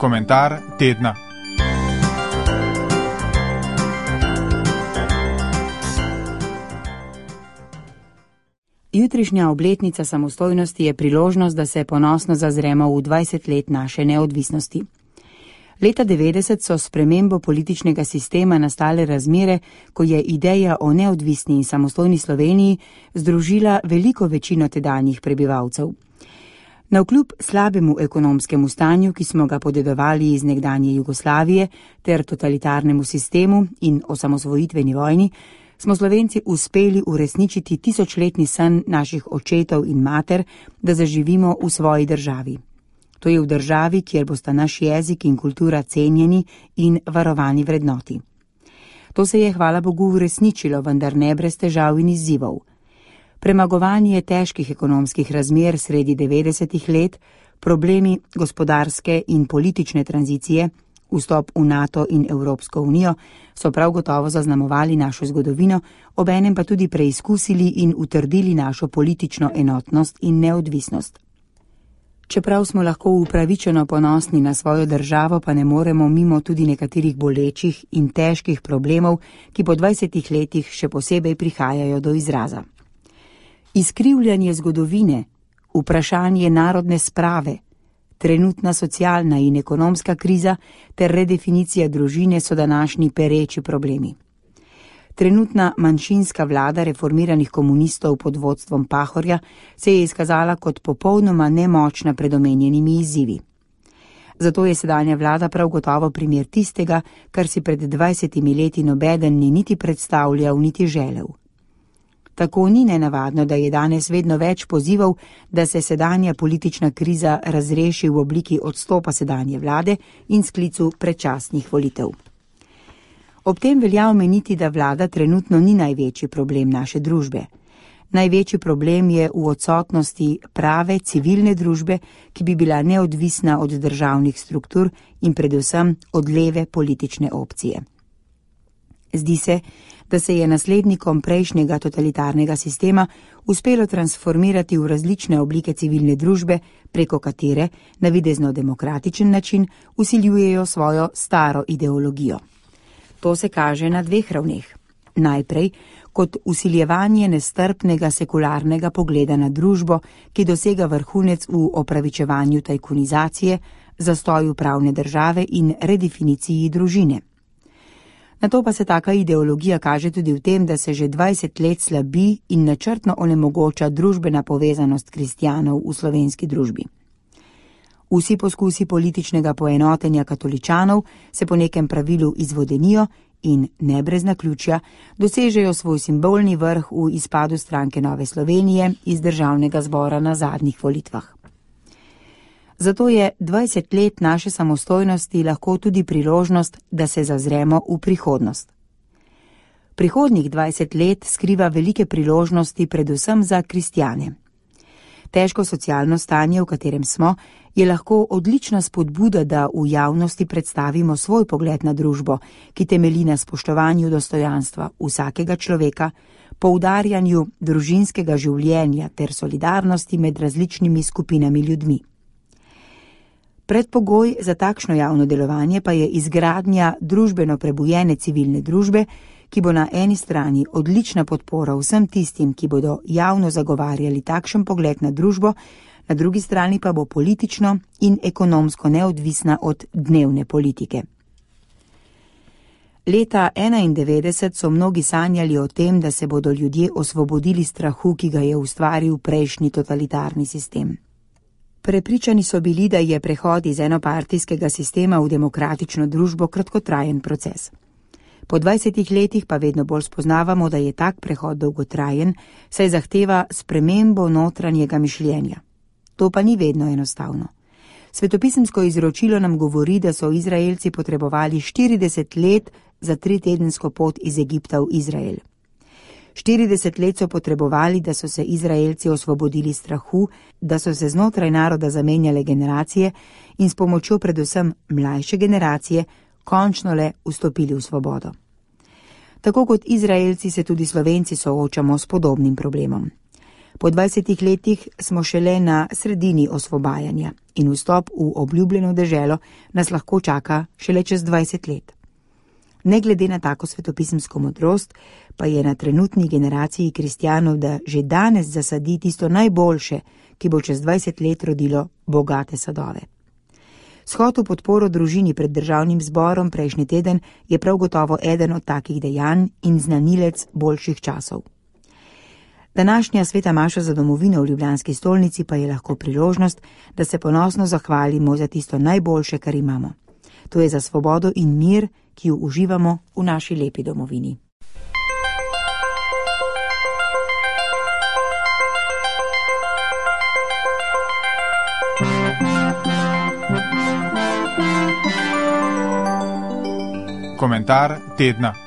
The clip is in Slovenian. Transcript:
Komentar tedna. Jutrišnja obletnica samostojnosti je priložnost, da se ponosno zazremo v 20 let naše neodvisnosti. Leta 90 so s spremembo političnega sistema nastale razmere, ko je ideja o neodvisni in samostojni Sloveniji združila veliko večino tedanjih prebivalcev. Navkljub slabemu ekonomskemu stanju, ki smo ga podedovali iz nekdanje Jugoslavije, ter totalitarnemu sistemu in osamosvojitveni vojni, smo Slovenci uspeli uresničiti tisočletni san naših očetov in mater, da zaživimo v svoji državi. To je v državi, kjer bosta naš jezik in kultura cenjeni in varovani vrednoti. To se je, hvala Bogu, uresničilo, vendar ne brez težav in izzivov. Premagovanje težkih ekonomskih razmer sredi 90-ih let, problemi gospodarske in politične tranzicije, vstop v NATO in Evropsko unijo so prav gotovo zaznamovali našo zgodovino, obenem pa tudi preizkusili in utrdili našo politično enotnost in neodvisnost. Čeprav smo lahko upravičeno ponosni na svojo državo, pa ne moremo mimo tudi nekaterih bolečih in težkih problemov, ki po 20 letih še posebej prihajajo do izraza. Izkrivljanje zgodovine, vprašanje narodne sprave, trenutna socialna in ekonomska kriza ter redefinicija družine so današnji pereči problemi. Trenutna manjšinska vlada reformiranih komunistov pod vodstvom Pahorja se je izkazala kot popolnoma nemočna pred omenjenimi izzivi. Zato je sedanja vlada prav gotovo primer tistega, kar si pred 20 leti nobeden ni niti predstavljal, niti želel. Tako ni nenavadno, da je danes vedno več pozivov, da se sedanja politična kriza razreši v obliki odstopa sedanje vlade in sklicu predčasnih volitev. Ob tem velja omeniti, da vlada trenutno ni največji problem naše družbe. Največji problem je v odsotnosti prave civilne družbe, ki bi bila neodvisna od državnih struktur in predvsem od leve politične opcije. Zdi se, da se je naslednikom prejšnjega totalitarnega sistema uspelo transformirati v različne oblike civilne družbe, preko katere na videzno demokratičen način vsiljujejo svojo staro ideologijo. To se kaže na dveh ravneh. Najprej kot vsiljevanje nestrpnega sekularnega pogleda na družbo, ki dosega vrhunec v opravičevanju tajkunizacije, zastoju pravne države in redefiniciji družine. Nato pa se taka ideologija kaže tudi v tem, da se že 20 let slabi in načrtno onemogoča družbena povezanost kristjanov v slovenski družbi. Vsi poskusi političnega poenotenja katoličanov se po nekem pravilu izvodenijo in, ne brez naključja, dosežejo svoj simbolni vrh v izpadu stranke Nove Slovenije iz državnega zbora na zadnjih volitvah. Zato je 20 let naše samostojnosti lahko tudi priložnost, da se zazremo v prihodnost. Prihodnjih 20 let skriva velike priložnosti predvsem za kristjane. Težko socialno stanje, v katerem smo, je lahko odlična spodbuda, da v javnosti predstavimo svoj pogled na družbo, ki temelji na spoštovanju dostojanstva vsakega človeka, poudarjanju družinskega življenja ter solidarnosti med različnimi skupinami ljudmi. Predpogoj za takšno javno delovanje pa je izgradnja družbeno prebujene civilne družbe, ki bo na eni strani odlična podpora vsem tistim, ki bodo javno zagovarjali takšen pogled na družbo, na drugi strani pa bo politično in ekonomsko neodvisna od dnevne politike. Leta 1991 so mnogi sanjali o tem, da se bodo ljudje osvobodili strahu, ki ga je ustvaril prejšnji totalitarni sistem. Prepričani so bili, da je prehod iz enopartijskega sistema v demokratično družbo kratkotrajen proces. Po 20 letih pa vedno bolj spoznavamo, da je tak prehod dolgotrajen, saj zahteva spremembo notranjega mišljenja. To pa ni vedno enostavno. Svetopisemsko izročilo nam govori, da so Izraelci potrebovali 40 let za 3-tedensko pot iz Egipta v Izrael. 40 let so potrebovali, da so se Izraelci osvobodili strahu, da so se znotraj naroda zamenjale generacije in s pomočjo predvsem mlajše generacije končno le vstopili v svobodo. Tako kot Izraelci se tudi Slovenci soočamo s podobnim problemom. Po 20 letih smo šele na sredini osvobajanja in vstop v obljubljeno deželo nas lahko čaka šele čez 20 let. Ne glede na tako svetopisemsko modrost, pa je na trenutni generaciji kristjanov, da že danes zasadi tisto najboljše, ki bo čez 20 let rodilo bogate sadove. Shod v podporo družini pred državnim zborom prejšnji teden je prav gotovo eden od takih dejanj in znanilec boljših časov. Današnja sveta maša za domovino v ljubljanski stolnici pa je lahko priložnost, da se ponosno zahvalimo za tisto najboljše, kar imamo. To je za svobodo in mir, ki jo uživamo v naši lepi domovini. Komentar tedna.